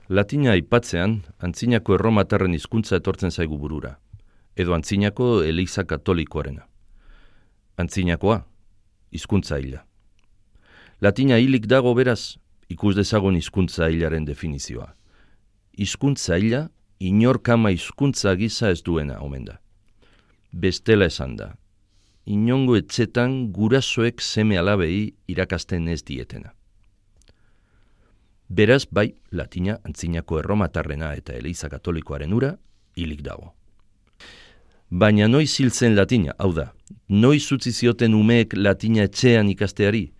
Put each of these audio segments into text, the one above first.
Latina aipatzean, antzinako erromatarren hizkuntza etortzen zaigu burura, edo antzinako Eliza Katolikoarena. Antzinakoa, hizkuntza hila. Latina hilik dago beraz, ikus dezagun hizkuntza hilaren definizioa. Hizkuntza hila, inorkama hizkuntza gisa ez duena omen da. Bestela esan da, inongo etxetan gurasoek seme alabei irakasten ez dietena. Beraz, bai, latina antzinako erromatarrena eta Eliza Katolikoaren ura hilik dago. Baina noiz hil zen latina, hau da, noiz utzi zioten umeek latina etxean ikasteari?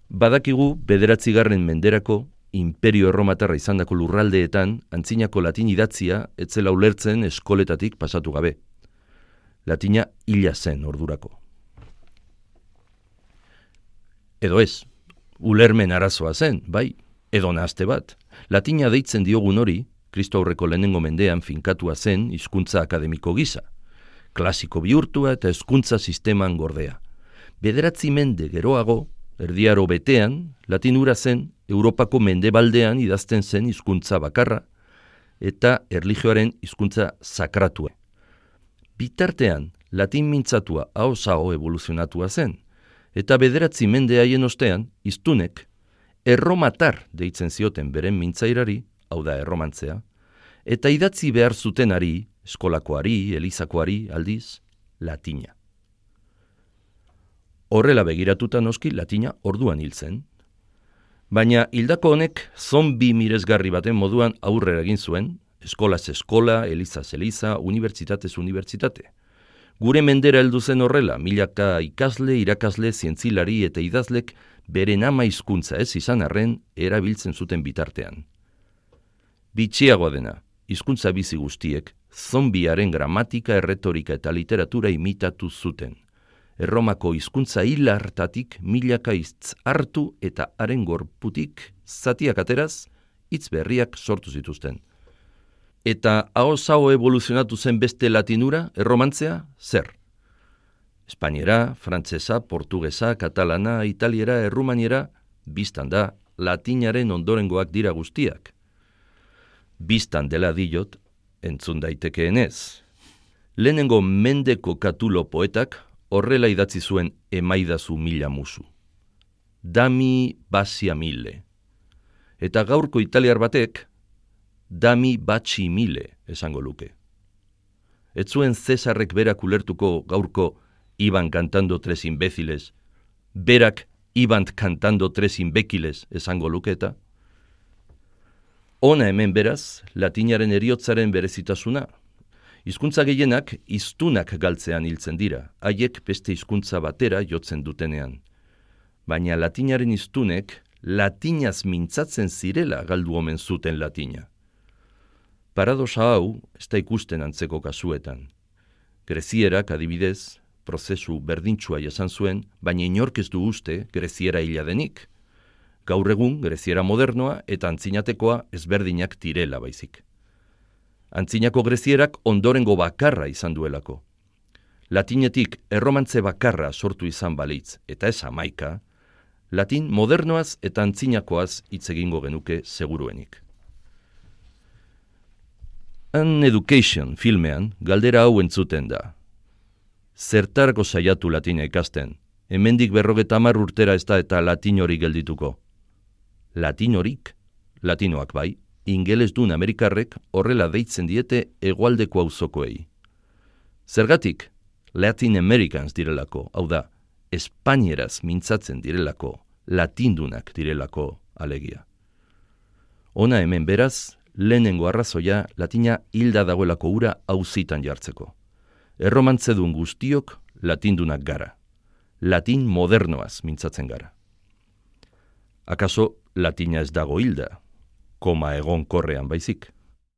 Badakigu 9. menderako Imperio Erromatarra izandako lurraldeetan antzinako latin idatzia etzela ulertzen eskoletatik pasatu gabe. Latina hila zen ordurako. Edo ez, ulermen arazoa zen, bai, edo nahazte bat. Latina deitzen diogun hori, Kristo aurreko lehenengo mendean finkatua zen hizkuntza akademiko gisa. Klasiko bihurtua eta hezkuntza sisteman gordea. 9 mende geroago, erdiaro betean, latin hura zen Europako mendebaldean idazten zen hizkuntza bakarra eta erlijioaren hizkuntza sakratua. Bitartean, latin mintzatua ahoz-aho evoluzionatua zen, eta 9 mende haien ostean, hiztunek, erromatar deitzen zioten beren mintzairari, hau da erromantzea, eta idatzi behar zutenari, eskolakoari, elizakoari, aldiz, latina. Horrela begiratuta noski latina orduan hil zen, baina hildako honek zombi miresgarri baten moduan aurrera egin zuen, eskolaz eskola, elizaz eliza, unibertsitatez unibertsitate. Gure mendera heldu zen horrela, milaka ikasle, irakasle, zientzilari eta idazlek beren ama hizkuntza ez izan arren erabiltzen zuten bitartean. Bitxiagoa dena, hizkuntza bizi guztiek, zombiaren gramatika, erretorika eta literatura imitatu zuten. Erromako hizkuntza hil hartatik milaka hitz hartu eta haren gorputik zatiak ateraz, hitz berriak sortu zituzten. Eta ahoz-aho evoluzionatu zen beste latinura, erromantzea, zer? Espainiera, frantsesa, portugesa, katalana, italiera, errumaniera, biztan da, latinaren ondorengoak dira guztiak. Biztan dela diot, entzun daitekeenez. Lehenengo mendeko katulo poetak horrela idatzi zuen emaidazu mila musu. Dami basia mille. Eta gaurko italiar batek, dami batxi mile esango luke. Ez zuen Cesarrek berak ulertuko gaurko iban cantando 3 imbéciles, berak iban cantando 3 imbéciles esango luketa. Ona hemen beraz, latinaren heriotzaren berezitasuna. Hizkuntza gehienak hiztunak galtzean hiltzen dira, haiek beste hizkuntza batera jotzen dutenean. Baina latinaren hiztunek latinaz mintzatzen zirela galdu omen zuten latina. Paradoxa hau ez da ikusten antzeko kasuetan. Grezierak adibidez, prozesu berdintsua jasan zuen, baina inork ez du uste greziera hila denik. Gaur egun greziera modernoa eta antzinatekoa ezberdinak direla baizik. Antzinako grezierak ondorengo bakarra izan duelako. Latinetik erromantze bakarra sortu izan balitz eta ez 11, latin modernoaz eta antzinakoaz hitz egingo genuke seguruenik. An Education filmean galdera hau entzuten da. Zertarako saiatu latina ikasten? Hemendik 50 urtera ez da eta latin hori geldituko. Latin horik? Latinoak bai, ingelesdun Amerikarrek horrela deitzen diete hegoaldeko auzokoei. Zergatik? Latin Americans direlako, hau da, espainieraz mintzatzen direlako, latindunak direlako alegia. Ona hemen beraz, lehenengo arrazoia latina hilda dagoelako ura auzitan jartzeko. Erromantzedun guztiok latindunak gara. Latin modernoaz mintzatzen gara. Akaso latina ez dago hilda, koma egon korrean baizik.